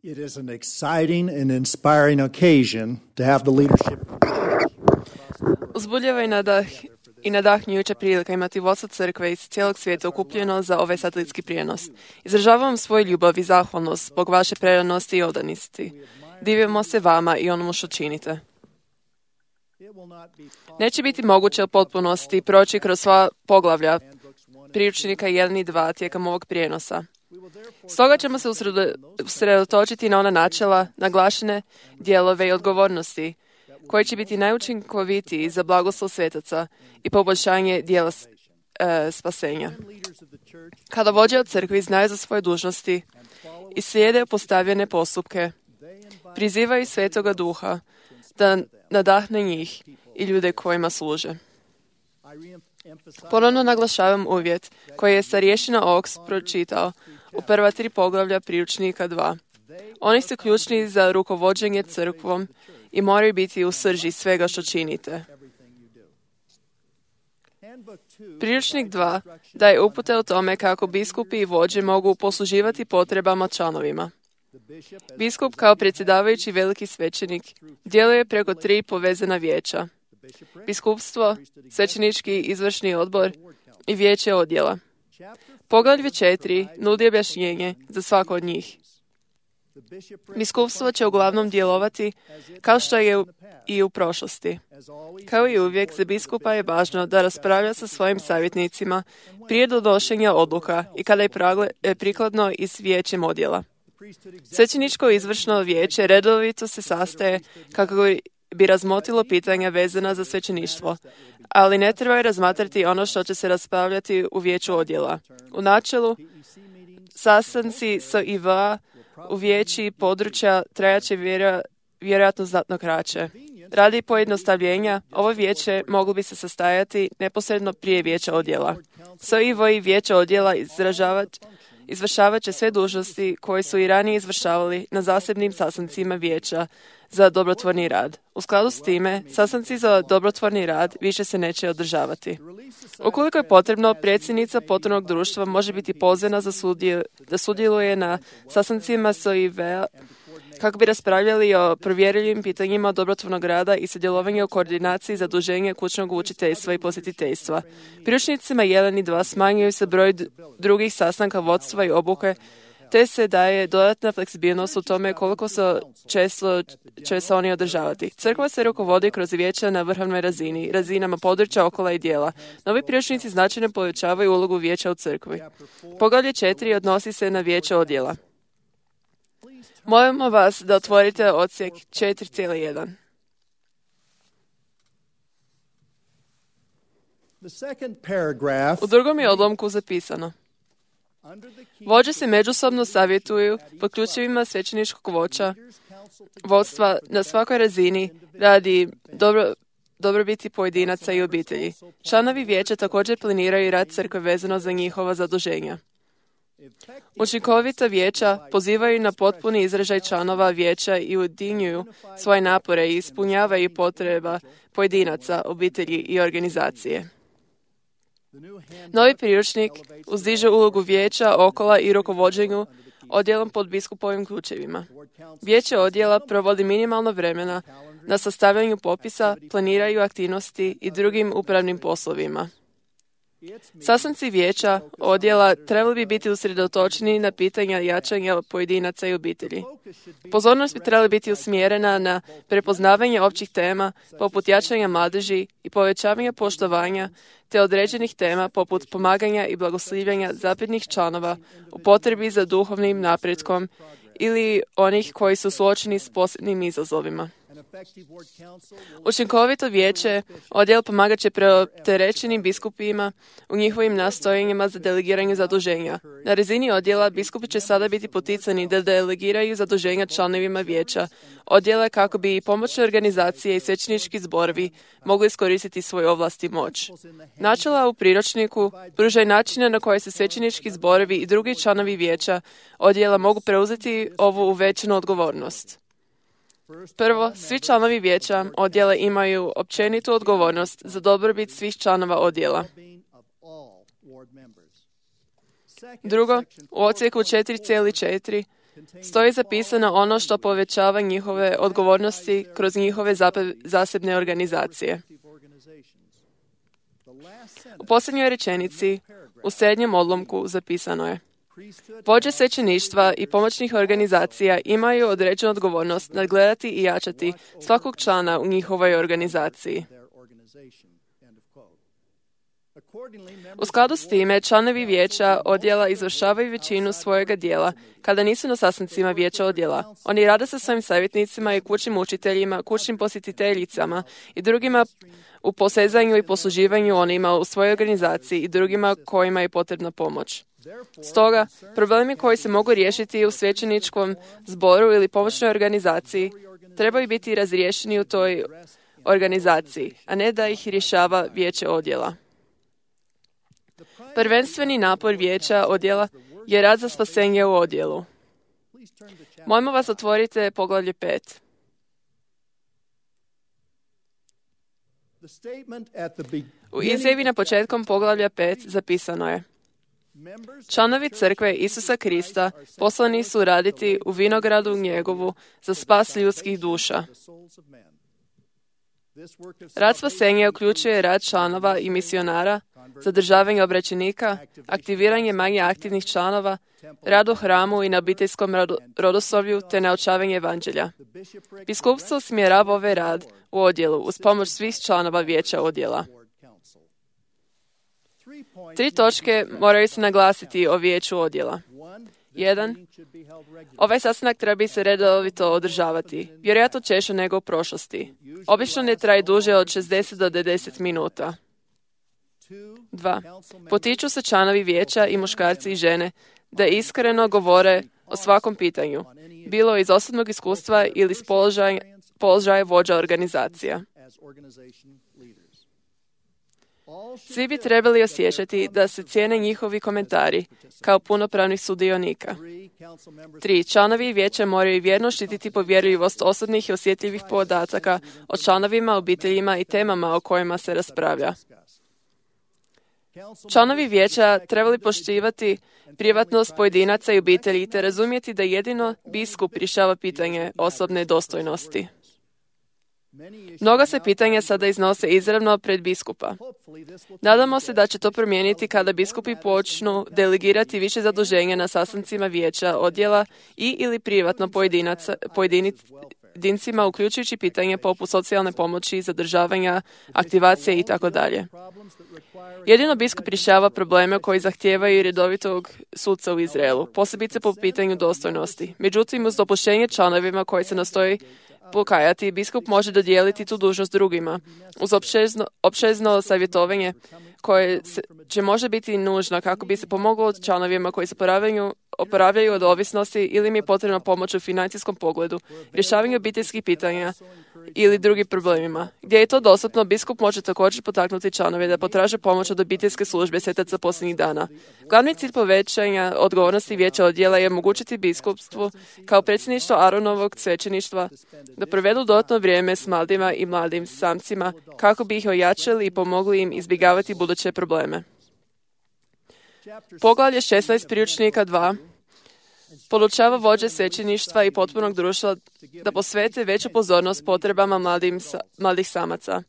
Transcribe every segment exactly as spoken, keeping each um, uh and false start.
It is an exciting and inspiring occasion to have the leadership. Uzbudljiva i nadah i nadahnjujuća prilika imati vodstvo crkve iz cijelog svijeta okupljeno za ovaj satelitski prijenos. Izražavam svoju ljubav i zahvalnost zbog vaše predanosti i odanosti. Divimo se vama i onomu što činite. Neće biti moguće u potpunosti proći kroz sva poglavlja priručnika jedan i dva tijekom ovog prijenosa. Stoga ćemo se usredotočiti na ona načela, naglašene dijelove i odgovornosti, koji će biti najučinkovitiji za blagoslov svetaca i poboljšanje dijela e, spasenja. Kada vođe od crkvi znaju za svoje dužnosti i slijede postavljene postupke, prizivaju Svetoga Duha da nadahne njih i ljude kojima služe. Ponovno naglašavam uvjet koji je starješina Oaks pročitao u prva tri poglavlja priručnika dva. Oni su ključni za rukovođenje crkvom i moraju biti u srži svega što činite. Priručnik dva daje upute o tome kako biskupi i vođe mogu posluživati potrebama članovima. Biskup kao predsjedavajući veliki svećenik djeluje preko tri povezana vijeća: biskupstvo, svećenički izvršni odbor i vijeće odjela. Poglavlje četiri nudi objašnjenje za svako od njih. Biskupstvo će uglavnom djelovati kao što je i u prošlosti. Kao i uvijek, za biskupa je važno da raspravlja sa svojim savjetnicima prije donošenja odluka i kada je prikladno i s vijećem odjela. Svećeničko izvršno vijeće redovito se sastaje kako bi razmotrilo pitanja vezana za svećeništvo, ali ne treba razmatrati ono što će se raspravljati u vijeću odjela. U načelu, sastanci S I V u vijeći područja trajaće vjera, vjerojatno znatno kraće. Radi pojednostavljenja, ovo vijeće moglo bi se sastajati neposredno prije vijeća odjela. S I V i vijeće odjela izvršavat će sve dužnosti koje su i ranije izvršavali na zasebnim sastancima vijeća za dobrotvorni rad. U skladu s time, sastanci za dobrotvorni rad više se neće održavati. Ukoliko je potrebno, predsjednica potpornog društva može biti pozvana za sudje, da sudjeluje na sastancima S I V-a kako bi raspravljali o provjerljivim pitanjima dobrotvornog rada i sudjelovanje u koordinaciji zaduženja kućnog učiteljstva i posjetiteljstva. Priručnicima jedan i dva smanjuju se broj drugih sastanka vodstva i obuke, te se daje dodatna fleksibilnost u tome koliko se često će se oni održavati. Crkva se rukovodi kroz vijeća na vrhovnoj razini, razinama područja, okola i dijela. Novi priručnici značajno povećavaju ulogu vijeća u crkvi. Poglavlje četiri odnosi se na vijeće odjela. Molimo vas da otvorite odsjek četiri zarez jedan. U drugom je odlomku zapisano: vođe se međusobno savjetuju pod ključevima svećeničkog voća, vodstva na svakoj razini radi dobro, dobrobiti pojedinaca i obitelji. Članovi vijeća također planiraju rad crkve vezano za njihova zaduženja. Učinkovita vijeća pozivaju na potpuni izražaj članova vijeća i ujedinjuju svoje napore i ispunjavaju potreba pojedinaca, obitelji i organizacije. Novi priručnik uzdiže ulogu vijeća, okola i rukovođenju odjelom pod biskupovim ključevima. Vijeće odjela provodi minimalno vremena na sastavljanju popisa, planiraju aktivnosti i drugim upravnim poslovima. Sastanci vijeća odjela trebali bi biti usredotočeni na pitanja jačanja pojedinaca i obitelji. Pozornost bi trebala biti usmjerena na prepoznavanje općih tema poput jačanja mladeži i povećavanja poštovanja te određenih tema poput pomaganja i blagoslivljanja zapetnih članova u potrebi za duhovnim napretkom ili onih koji su suočeni s posebnim izazovima. Učinkovito vijeće odjel pomagat će preopterećenim biskupima u njihovim nastojanjima za delegiranje zaduženja. Na razini odjela biskupi će sada biti poticani da delegiraju zaduženja članovima vijeća odjela kako bi i pomoćne organizacije i svećenički zborovi mogli iskoristiti svoje ovlasti i moć. Načela u priručniku pružaju načine na koje se svećenički zborovi i drugi članovi vijeća odjela mogu preuzeti ovu uvećanu odgovornost. Prvo, svi članovi vijeća odjela imaju općenitu odgovornost za dobrobit svih članova odjela. Drugo, u odsjeku četiri zarez četiri stoji zapisano ono što povećava njihove odgovornosti kroz njihove zasebne organizacije. U posljednjoj rečenici, u srednjem odlomku, zapisano je: vođe svećeništva i pomoćnih organizacija imaju određenu odgovornost nadgledati i jačati svakog člana u njihovoj organizaciji. U skladu s time, članovi vijeća odjela izvršavaju većinu svojega dijela kada nisu na sastancima vijeća odjela. Oni rade sa svojim savjetnicima i kućnim učiteljima, kućnim posjetiteljicama i drugima u posezanju i posluživanju onima u svojoj organizaciji i drugima kojima je potrebna pomoć. Stoga, problemi koji se mogu riješiti u svećeničkom zboru ili pomoćnoj organizaciji trebaju biti razriješeni u toj organizaciji, a ne da ih rješava vijeće odjela. Prvenstveni napor vijeća odjela je rad za spasenje u odjelu. Mojmo vas otvorite poglavlje pet. U izjavi na početkom poglavlja pet zapisano je: članovi crkve Isusa Krista poslani su raditi u vinogradu njegovu za spas ljudskih duša. Rad spasenja uključuje rad članova i misionara, zadržavanje obraćenika, aktiviranje manje aktivnih članova, rad u hramu i na obiteljskom rodoslovlju te naučavanje evanđelja. Biskupstvo usmjerava ovaj rad u odjelu uz pomoć svih članova vijeća odjela. Tri točke moraju se naglasiti o vijeću odjela. Jedan. Ovaj sastanak treba se redovito održavati, vjerojatno češće nego u prošlosti. Obično ne traje duže od šezdeset do devedeset minuta. Dva. Potiču se članovi vijeća i muškarci i žene da iskreno govore o svakom pitanju, bilo iz osobnog iskustva ili iz položaja, položaja vođa organizacija. Svi bi trebali osjećati da se cijene njihovi komentari kao punopravnih sudionika. Tri. Članovi vijeća moraju vjerno štititi povjerljivost osobnih i osjetljivih podataka o članovima, obiteljima i temama o kojima se raspravlja. Članovi vijeća trebali poštivati privatnost pojedinaca i obitelji te razumjeti da jedino biskup rješava pitanje osobne dostojnosti. Mnoga se pitanja sada iznose izravno pred biskupa. Nadamo se da će to promijeniti kada biskupi počnu delegirati više zaduženja na sastancima vijeća odjela i ili privatno pojedincima, uključujući pitanja poput socijalne pomoći, zadržavanja, aktivacije itd. Jedino biskup rješava probleme koji zahtijevaju redovitog sudca u Izraelu, posebice po pitanju dostojnosti. Međutim, uz dopuštenje članovima koji se nastoji pokajati, biskup može dodijeliti tu dužnost drugima, uz opšezno, opšezno savjetovanje koje se, će može biti nužno kako bi se pomoglo članovima koji se oporavljaju, oporavljaju od ovisnosti ili im je potrebna pomoć u financijskom pogledu, rješavanju obiteljskih pitanja ili drugim problemima. Gdje je to dostupno, biskup može također potaknuti članove da potraže pomoć od obiteljske službe svetaca posljednjih dana. Glavni cilj povećanja odgovornosti vijeća odjela je omogućiti biskupstvu kao predsjedništvo Aronovog svećeništva da provedu dodatno vrijeme s mladima i mladim samcima kako bi ih ojačali i pomogli im izbjegavati buduće probleme. Poglavlje šesnaest priručnika dva podučava vođe svećeništva i potpunog društva da posvete veću pozornost potrebama mladim, mladih samaca.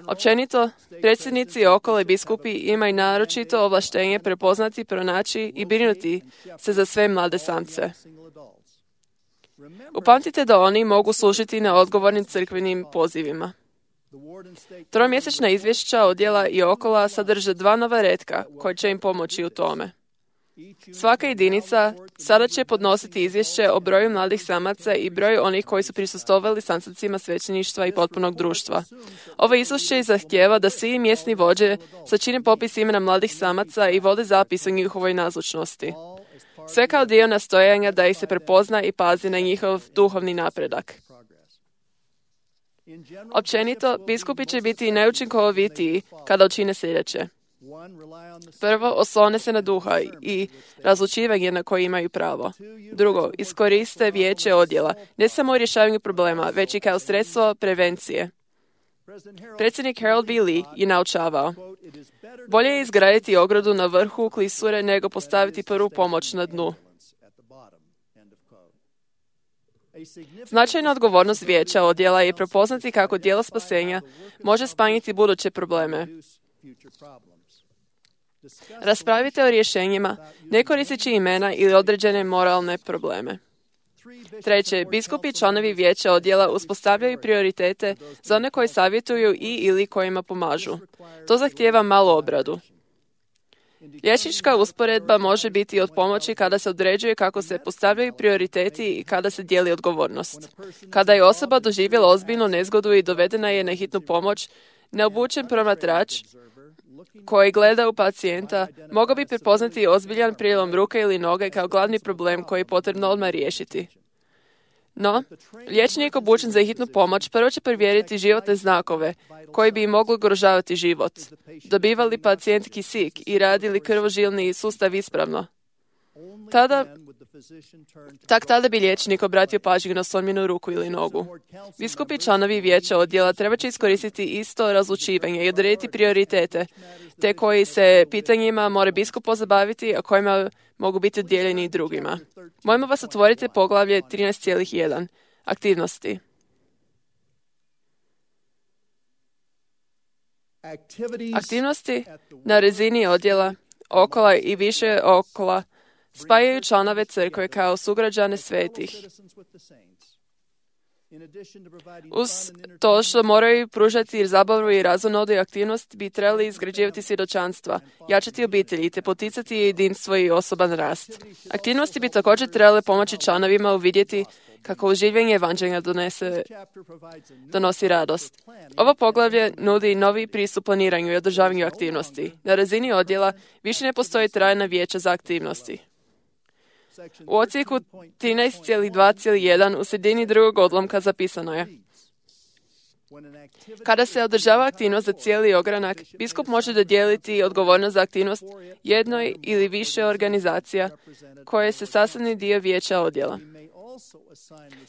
Općenito, predsjednici okolo i biskupi imaju naročito ovlaštenje prepoznati, pronaći i brinuti se za sve mlade samce. Upamtite da oni mogu služiti na odgovornim crkvenim pozivima. Tromjesečna izvješća odjela i okola sadrže dva nova retka koji će im pomoći u tome. Svaka jedinica sada će podnositi izvješće o broju mladih samaca i broju onih koji su prisustvovali sastancima svećeništva i potpunog društva. Ovo izvješće zahtijeva da svi mjesni vođe sačine popis imena mladih samaca i vode zapis o njihovoj nazočnosti. Sve kao dio nastojanja da ih se prepozna i pazi na njihov duhovni napredak. Općenito, biskupi će biti najučinkovitiji kada učine sljedeće. Prvo, oslone se na duha i razlučivanje na koje imaju pravo. Drugo, iskoriste vijeće odjela, ne samo u rješavanju problema, već i kao sredstvo prevencije. Predsjednik Harold B. Lee je naučavao: bolje je izgraditi ogradu na vrhu klisure nego postaviti prvu pomoć na dnu. Značajna odgovornost vijeća odjela je prepoznati kako djelo spasenja može smanjiti buduće probleme. Raspravite o rješenjima, ne koristeći imena ili određene moralne probleme. Treće, biskupi i članovi vijeća odjela uspostavljaju prioritete za one koji savjetuju i ili kojima pomažu. To zahtijeva malu obradu. Liječnička usporedba može biti od pomoći kada se određuje kako se postavljaju prioriteti i kada se dijeli odgovornost. Kada je osoba doživjela ozbiljnu nezgodu i dovedena je na hitnu pomoć, neobučen promatrač koji gleda u pacijenta mogao bi prepoznati ozbiljan prijelom ruke ili noge kao glavni problem koji je potrebno odmah riješiti. No, liječnik obučen za hitnu pomoć prvo će provjeriti životne znakove koji bi im mogli ugrožavati život. Dobiva li pacijent kisik i radi li krvožilni sustav ispravno? Tada, tak tada bi liječnik obratio pažnju na slomljenu ruku ili nogu. Biskupi članovi vijeća odjela treba će iskoristiti isto razlučivanje i odrediti prioritete, te koji se pitanjima mora biskup pozabaviti, a kojima mogu biti udjeljeni drugima. Mojmo vas otvoriti poglavlje trinaest zarez jedan. Aktivnosti. Aktivnosti na razini odjela, okola i više okola spajaju članove crkve kao sugrađane svetih. Uz to što moraju pružati zabavu i razonodu i aktivnost, bi trebali izgrađivati svjedočanstva, jačati obitelji te poticati jedinstvo i osoban rast. Aktivnosti bi također trebale pomoći članovima uvidjeti kako uživanje evanđelja donese, donosi radost. Ovo poglavlje nudi novi pristup planiranju i održavanju aktivnosti. Na razini odjela više ne postoji trajna vijeća za aktivnosti. U odsjeku trinaest zarez dva zarez jedan u sredini drugog odlomka zapisano je: kada se održava aktivnost za cijeli ogranak, biskup može dodijeliti odgovornost za aktivnost jednoj ili više organizacija koje se sastavni dio vijeća odjela.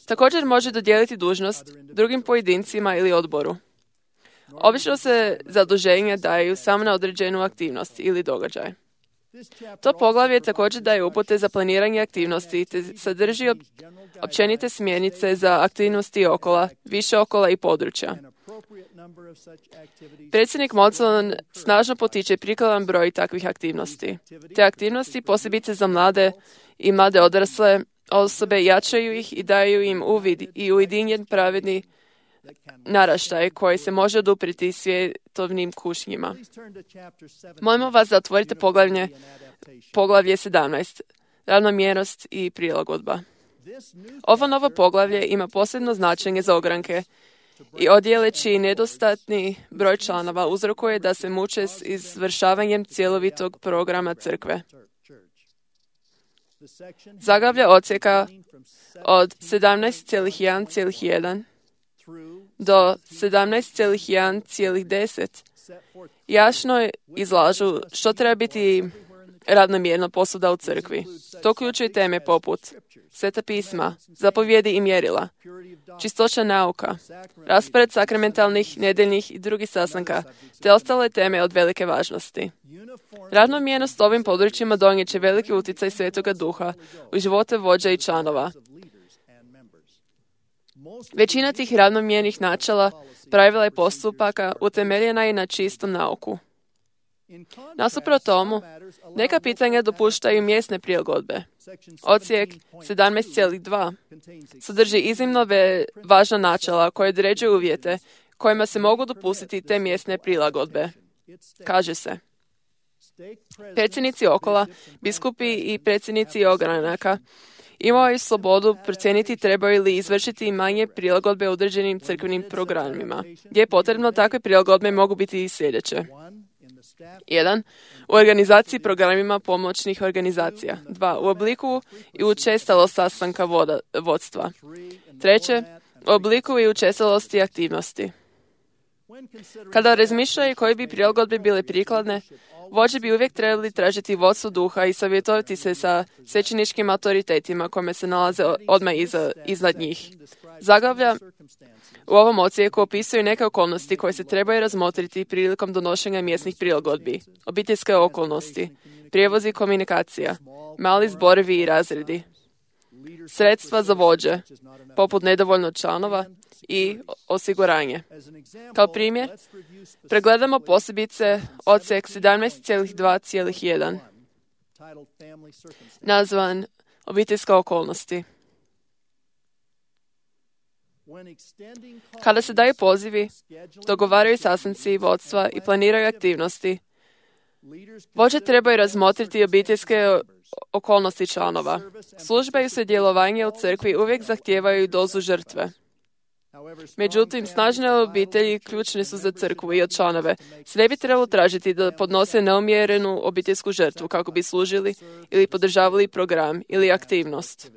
Također može dodijeliti dužnost drugim pojedincima ili odboru. Obično se zaduženja daju samo na određenu aktivnost ili događaj. To poglavlje također daje upute za planiranje aktivnosti te sadrži općenite smjernice za aktivnosti okola, više okola i područja. Predsjednik Monson snažno potiče prikladan broj takvih aktivnosti. Te aktivnosti, posebice za mlade i mlade odrasle osobe, jačaju ih i daju im uvid i ujedinjen pravedni naraštaj koji se može odupriti svjetovnim kušnjima. Molimo vas da otvorite poglavlje, poglavlje sedamnaest. Ravnomjernost i prilagodba. Ovo novo poglavlje ima posebno značenje za ogranke i odjele čiji nedostatni broj članova uzrokuje da se muče s izvršavanjem cjelovitog programa crkve. Zaglavlje odsjeka od sedamnaest zarez jedan zarez jedan do sedamnaest zarez jedan zarez deset jasno izlažu što treba biti ravnomjerno posuda u crkvi. To uključuje teme poput Sveta pisma, zapovjedi i mjerila, čistoća nauka, raspored sakramentalnih, nedeljnih i drugih sastanka, te ostale teme od velike važnosti. Ravnomjernost ovim područjima donijet će veliki utjecaj Svetoga Duha u živote vođa i članova. Većina tih ravnomjernih načela, pravila i postupaka utemeljena je na čistom nauku. Nasuprot tomu, neka pitanja dopuštaju mjesne prilagodbe. Odsjek sedamnaest zarez dva sadrži iznimno važna načela koje određuju uvjete kojima se mogu dopustiti te mjesne prilagodbe. Kaže se: predsjednici okola, biskupi i predsjednici ogranaka imaju slobodu procijeniti trebaju li izvršiti manje prilagodbe određenim crkvenim programima, gdje je potrebno takve prilagodbe mogu biti i sljedeće. jedan. U organizaciji programima pomoćnih organizacija. dva. U obliku i učestalost sastanka voda, vodstva. treće. U obliku i učestalosti aktivnosti. Kada razmišljaju koji bi prilagodbe bile prikladne, vođe bi uvijek trebali tražiti vodstvo duha i savjetovati se sa svećeničkim autoritetima kome se nalaze odmah iza, iznad njih. Zaglavlja u ovom odsjeku opisuju neke okolnosti koje se trebaju razmotriti prilikom donošenja mjesnih prilagodbi, obiteljske okolnosti, prijevoz i komunikacija, mali zborovi i razredi, sredstva za vođe, poput nedovoljno članova i osiguranje. Kao primjer, pregledamo posebice odsek sedamnaest dva jedan, nazvan obiteljske okolnosti. Kada se daju pozivi, dogovaraju sastanci vodstva i planiraju aktivnosti, vođe trebaju razmotriti obiteljske okolnosti članova. Službe i sudjelovanje u crkvi uvijek zahtijevaju dozu žrtve. Međutim, snažne obitelji ključne su za crkvu i od članove. Se ne bi trebalo tražiti da podnose neumjerenu obiteljsku žrtvu kako bi služili ili podržavali program ili aktivnost.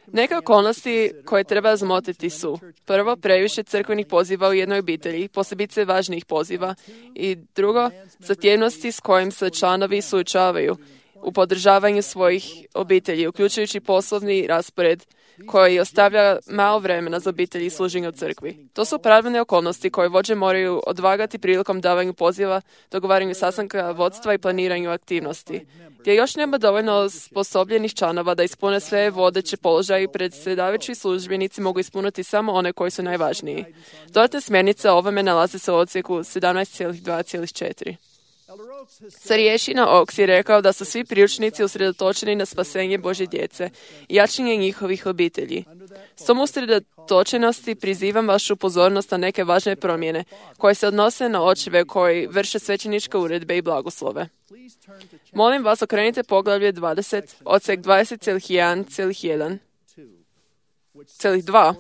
Neke okolnosti koje treba razmotriti su: prvo, previše crkvenih poziva u jednoj obitelji, posebice važnijih poziva, i drugo, zahtjevnosti s kojim se članovi suočavaju u podržavanju svojih obitelji, uključujući poslovni raspored koji ostavlja malo vremena za obitelji i služenje u crkvi. To su pravilne okolnosti koje vođe moraju odvagati prilikom davanju poziva, dogovaranju sastanka vodstva i planiranju aktivnosti. Gdje još nema dovoljno osposobljenih članova da ispune sve vodeće položaje, predsjedavajući službenici mogu ispuniti samo one koji su najvažniji. Dodatne smjernice o ovome nalaze se u odsjeku sedamnaest dva četiri. Starješina Oaks je rekao da su svi priručnici usredotočeni na spasenje Božje djece i jačanje njihovih obitelji. S tom usredotočenosti prizivam vašu pozornost na neke važne promjene koje se odnose na očeve koji vrše svećeničke uredbe i blagoslove. Molim vas, okrenite poglavlje dvadeset, odsek dvadeset jedan jedan, dva,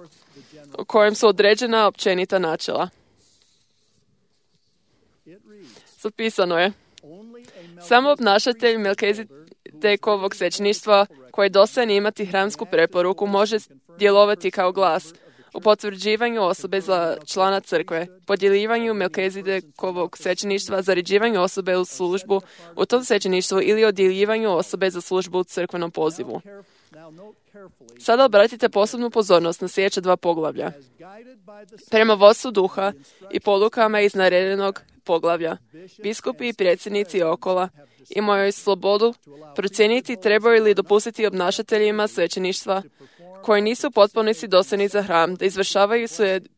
u kojem su određena općenita načela. Zapisano je: samo obnašatelj Melkizedekovog svećeništva koji je dostojan imati hramsku preporuku može djelovati kao glas u potvrđivanju osobe za člana crkve, podjeljivanju Melkizedekovog svećeništva, zaređivanju osobe u službu u tom svećeništvu ili odjeljivanju osobe za službu u crkvenom pozivu. Sada obratite posebnu pozornost na sljedeća dva poglavlja. Prema vodstvu duha i polukama iz navedenog poglavlja, biskupi i predsjednici okola imaju slobodu procijeniti trebaju li dopustiti obnašateljima svećeništva koji nisu u potpunosti dosljedni za hram da izvršavaju i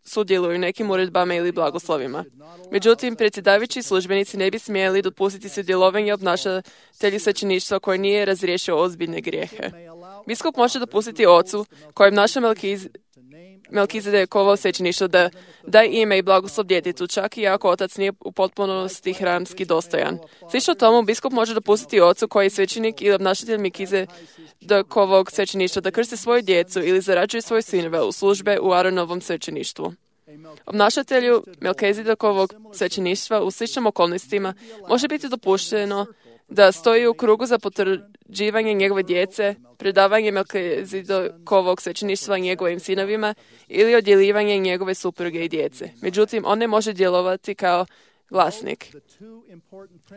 sudjeluju nekim uredbama ili blagoslovima. Međutim, predsjedavajući službenici ne bi smjeli dopustiti sudjelovanje obnašatelji svećeništva koji nije razriješio ozbiljne grijehe. Biskup može dopustiti ocu koji obnaša Melkiz Melkizedekovo svećeništvo da da ime i blagoslov djetetu, čak i ako otac nije u potpunosti hramski dostojan. Slično tomu, biskup može dopustiti ocu koji je svećenik ili obnašatelj Melkizedekovog svećeništva da krsti svoju djecu ili zarađuje svoje sinove u službe u Aronovom svećeništvu. Obnašatelju Melkizedekovog svećeništva u sličnim okolnostima može biti dopušteno da stoji u krugu za potvrđivanje njegove djece, predavanje Melkizedekovog svećeništva njegovim sinovima ili odjeljivanje njegove supruge i djece. Međutim, on ne može djelovati kao glasnik.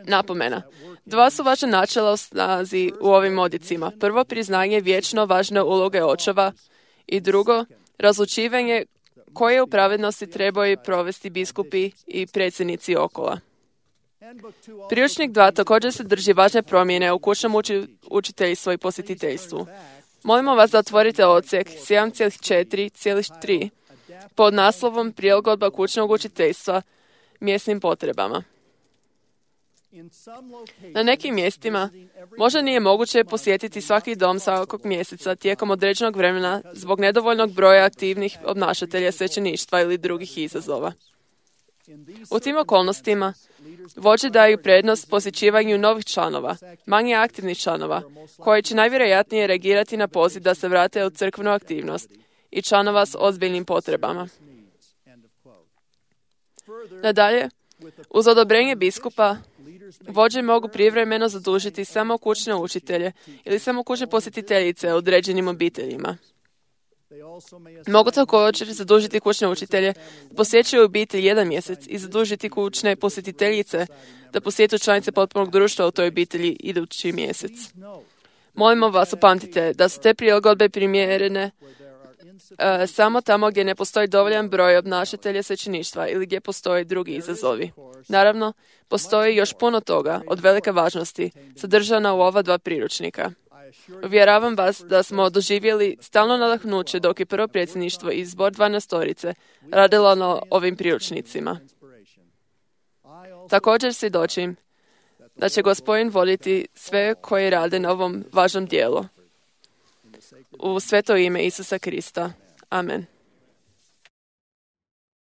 Napomena. Dva su važna načela u snazi u ovim odjecima. Prvo, priznanje vječno važne uloge očeva i drugo, razlučivanje koje u pravednosti trebaju provesti biskupi i predsjednici okola. Priručnik dva također se drži važne promjene u kućnom uči, učiteljstvu i posjetiteljstvu. Molimo vas da otvorite odsjek sedam četiri tri pod naslovom Prilagodba kućnog učiteljstva mjesnim potrebama. Na nekim mjestima možda nije moguće posjetiti svaki dom svakog mjeseca tijekom određenog vremena zbog nedovoljnog broja aktivnih obnašatelja svećeništva ili drugih izazova. U tim okolnostima vođe daju prednost posjećivanju novih članova, manje aktivnih članova, koji će najvjerojatnije reagirati na poziv da se vrate u crkvenu aktivnost i članova s ozbiljnim potrebama. Nadalje, uz odobrenje biskupa, vođe mogu privremeno zadužiti samo kućne učitelje ili samo kućne posjetiteljice u određenim obiteljima. Mogu također zadužiti kućne učitelje da posjećuju obitelj jedan mjesec i zadužiti kućne posjetiteljice da posjetu članice potpunog društva u toj obitelji idući mjesec. Molimo vas, upamtite da su te prilagodbe primjerene uh, samo tamo gdje ne postoji dovoljan broj obnašatelja svećeništva ili gdje postoje drugi izazovi. Naravno, postoji još puno toga od velike važnosti sadržana u ova dva priručnika. Uvjeravam vas da smo doživjeli stalno nadahnuće dok je prvo predsjedništvo i zbor dvanaestorice radilo na ovim priručnicima. Također svjedočim da će Gospodin voditi sve koji rade na ovom važnom dijelu. U sveto ime Isusa Krista. Amen.